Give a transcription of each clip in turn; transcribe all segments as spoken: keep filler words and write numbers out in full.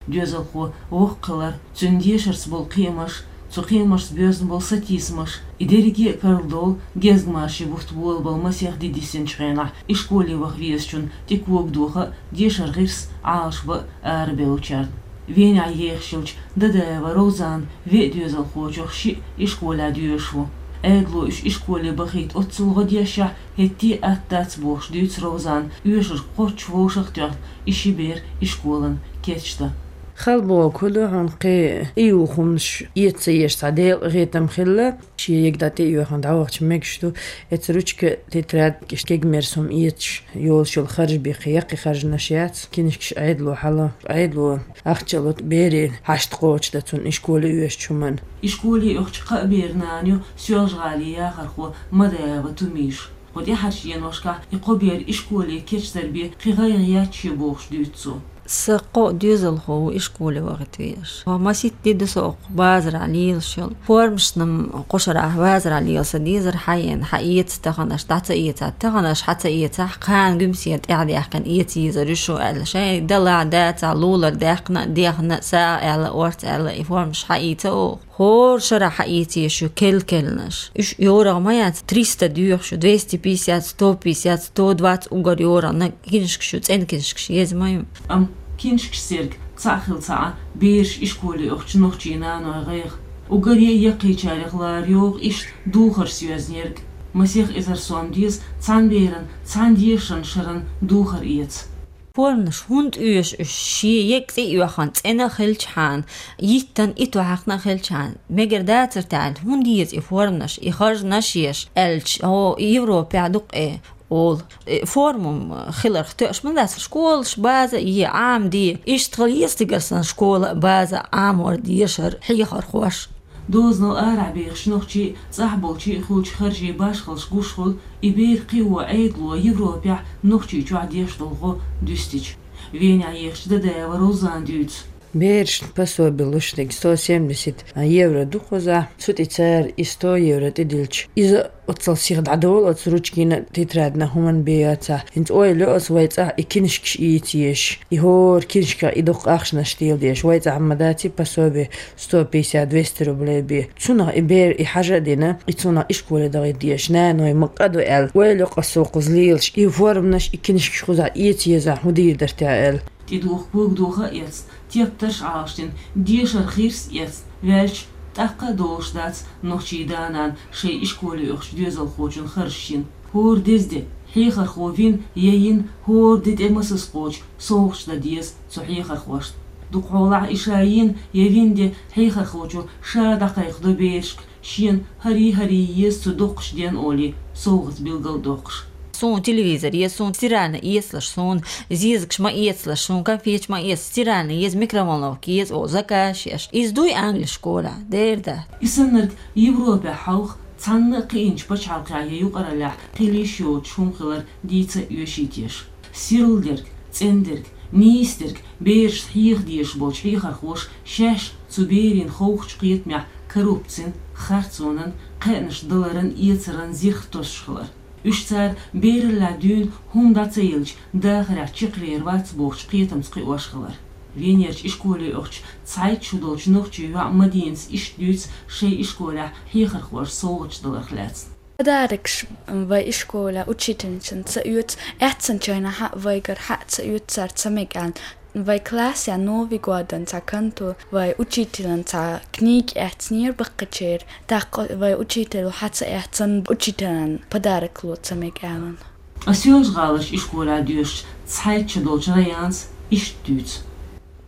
Доьзалхо воккха хилар, цуьнан дешарца болу кхиамаш, цу кхиамашца боьзна болу сатийсамаш, и дерриге а карладовлу гезгмашин бутт болабала масех де дисинчу хенахь, ишколе ваха везачунна тӀе когадоха а, дешар гӀирс Ӏалашбан а арабевллачарна. Венехь ехаш йолчу Дадаева Ровзанан веа доьзалхочух шиъ ишколехь доьшуш ву. Ӏедало уьш ишколе бахийта оццул гӀо дешшехь, хӀетте а атта дац бохуш дуьйцу Ровзана, оьшург кхоччуш вовшах а тоьхна, и ши бер ишколана кечдан. Хала бохург ду хьуна, кхин а и юхамаш эца ца езаш цхьа делкъа гӀетам хилла. Шен ега дӀа тӀеоьхна дӀавахча мегаш ду, эца ручка, тетрадь, иштта кегамерса хӀума эцаш йолуш йолу харж бен кхин яккхий харжамаш яц, кинашкаш Ӏедало хьала, Ӏедало ахча а лур берийн хьашт кхочушдан цунна ишколе оьшучу хӀуманна. Ишколе оьхучу кхаа беран нана ю Соьлжа-ГӀалин яхархо Мадаева Тумиша. Кху тӀаьхьарчу деношкахь и кхо бер ишколе кечдар бен кхин гӀайгӀа яц шен бохуш дуьйцу цо. Сан кхо а доьзалхо ву ишколе вахийта везаш. Маситта де ду со оккху базарахь лелаш йолу. Формашна-м кху шарахь базарахь лела сан дезара, хьаена, хьаэца таханарш, дӀа ца эцахь таханарш, хьа ца эцахь, кхана гуьмсе тӀаьхьадаьккхина эца езар ю шу аьлла, шайн далахь, дацахь, лулара даьккхина а, дехна а, сагӀа аьлла, орца аьлла, и формаш хьаийца оха. ХӀора шарахь хьаийца езаш ю кел-келланаш. Уьш йорагӀа ма яц, триста доьхуш ю, двести пятьдесят, сто пятьдесят, сто двадцать уггар йорагӀа, нагахь кинашкаш ю, цӀена кинашкаш еза ма ю. Амма кинашкаш серг цхьаъ хилла ца Ӏа, бераш ишколе оьхучу нохчийн наной гӀайгӀа. Уггаре а яккхийчарех лара йогӀу иштта духарш йоьзнерг. Масех эзар сом деза цхьана берана цхьана дешаран шаран духар эца. Форманаш хӀунда оьшу уьш, шен ега цӀе а йоьхна, цӀена а хилчхьана, йиттан итт вахьакхна а хилчхьана, мегар дацара тӀехь, хӀунда еза и форманаш, и харжамаш еш, аьлча, хьо Европехь дукха э олу. Э, форма хиларх тоьаш ма дац, школаш база е, Ӏамаде, иштта хила еза цигара санна школа а, база а, Ӏамор, дешар, хьехархош. Дозанал арахь бехаш нохчий а, цӀахь болчий а хуьлучу харжийн башхаллаш гуш хуьлу, и бер кхио Ӏедало Европехь Нохчийчохь деш долу гӀо дуьстича. Венехь ехачу Дадаева Розана дуьйцу. Берашна пособи луш дерг сто семьдесят евро ду кхузахь, цу тӀе цара и сто евро тӀедиллича, иза оццул сиха дӀадолу оцу ручкина а, тетрадна а, хӀуманна бен яцахь. ХӀинца ойла йо аса вай цӀахь и кинашкаш ийца езаш. И хӀора кинашках и дукха ахчанаш тела дезаш. Вай цӀахь ма дац и пособи сто пятьдесят, двести рублей бен. Цунах и бер и хьажа а дина, и цунах ишколе дахийта дезаш. Наной ма къа ду аьлла, ойла йо аса кхуза лелаш, и форманаш, и кинашкаш кхузахь ийца езахь, хӀун дийр дара те аьлла. ТӀедуха когадоха а эцна, тептарш а Ӏалашдина, дешаран гӀирс а эцна ваьлча, тӀаккха а долуш дац нохчийн да-нана шайн ишколе оьхучу доьзалхочун харжаш йина. ХӀора деза де хьехархо вина я йина, хӀора де тӀе масаза кхочу совгӀаташ дан деза цу хьехархошна. Дукхахьолахь и ша йина я вина де хьехархочо ша дӀакхайкхадо берашка, шена хӀарий-хӀарий еза цу доккхачу ден олий, совгӀат билгал а доккхуш. Суна телевизор еза, суна стиральни эцалаш, суна зезагаш ма эцалаш, суна конфеташ ма эца, стиральни еза, микроволновка еза олу заказ еш. Иза дуй Англи школехь, дера дац. И саннарг Европехь хьалха цхьанна а кхиъначу пачхьалкхехь я юкъараллехь хила йиш йоцуш хӀума хилар дийца а оьший теша. Сирла дерг, цӀена дерг, нийса дерг, берашна хьеха дезаш болчу хьехархоша шаьш цу берийн ховхачу кхетамехь коррупцин, харцонан, кхаьънаш даларан, эцаран зирх тосуш хилар. Уьш цара бераллехь дуьйна хӀума дӀа ца елча, дахарехь чекхвер вац бохучу кхетамца кхиош хилар. Венерчу ишколе оьхучу цхьайтта шо долчу нохчийн йоӀа Мадинас иштта дуьйцу шайн ишколехь хьехархоша совгӀаташ даларх лаьцна. Подарокаш вай ишколехь учительницана ца оьцу, аьццанчу хенахь а вайгара хьа а ца оьцу цара ца мега аьлла. Вай классехь Новый годан цхьа контур вай учителан цхьа книга эцнера баккхичеран, тӀаккха вай учитело хьа ца эцна, учителан подарок ло ца мега аьлла. Ткъа Соьлжа-ГӀаларчу ишколехь доьшучу цхьайтта шо долчу Раянас иштта дуьйцу.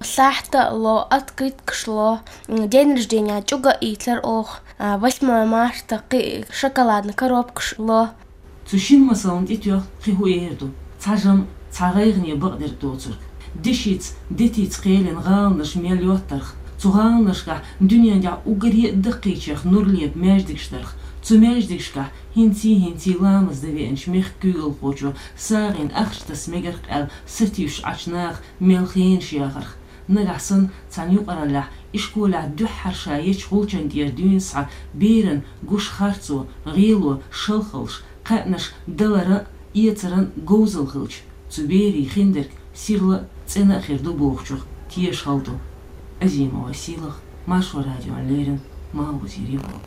Сахьта а ло, открыткаш ло, день рождения чӀуга а ийцар оха, а, восьмое марта кхин шоколадный коробкаш ло. Цу шина масална тӀетоьхна кхин хӀун эр ду? Цхьа жамӀ, цхьа гӀайгӀане бакъдерг доцург. Дешица, детица кхелина гӀаланаш мел йоттарх, цу гӀаланашкахь дуьнен тӀехь уггаре а даккхийчех нур лепа маьждигаш дарх, цу маьждигашкахь хӀинций-хӀинций ламаз дан веанчу мехкан куьйгалхочо сагӀина ахча таса мегарх аьлла сатуьйсуш Ӏачу наха мел хенаш яхарх. Нагахь санна цхьана юкъараллехь ишколехь дуьххьара ша ечу гӀулчан тӀера дуьйна схьа беран гуш харцо, гӀело, шалхаллаш, кхаьънаш даларан а, эцаран а говзалла хилча, цу берийн хиндерг сирла а, цӀена а хир ду бохучух тешаш хала ду. Азимова Силах, Маршо радион леррина, Малхбузера Европа.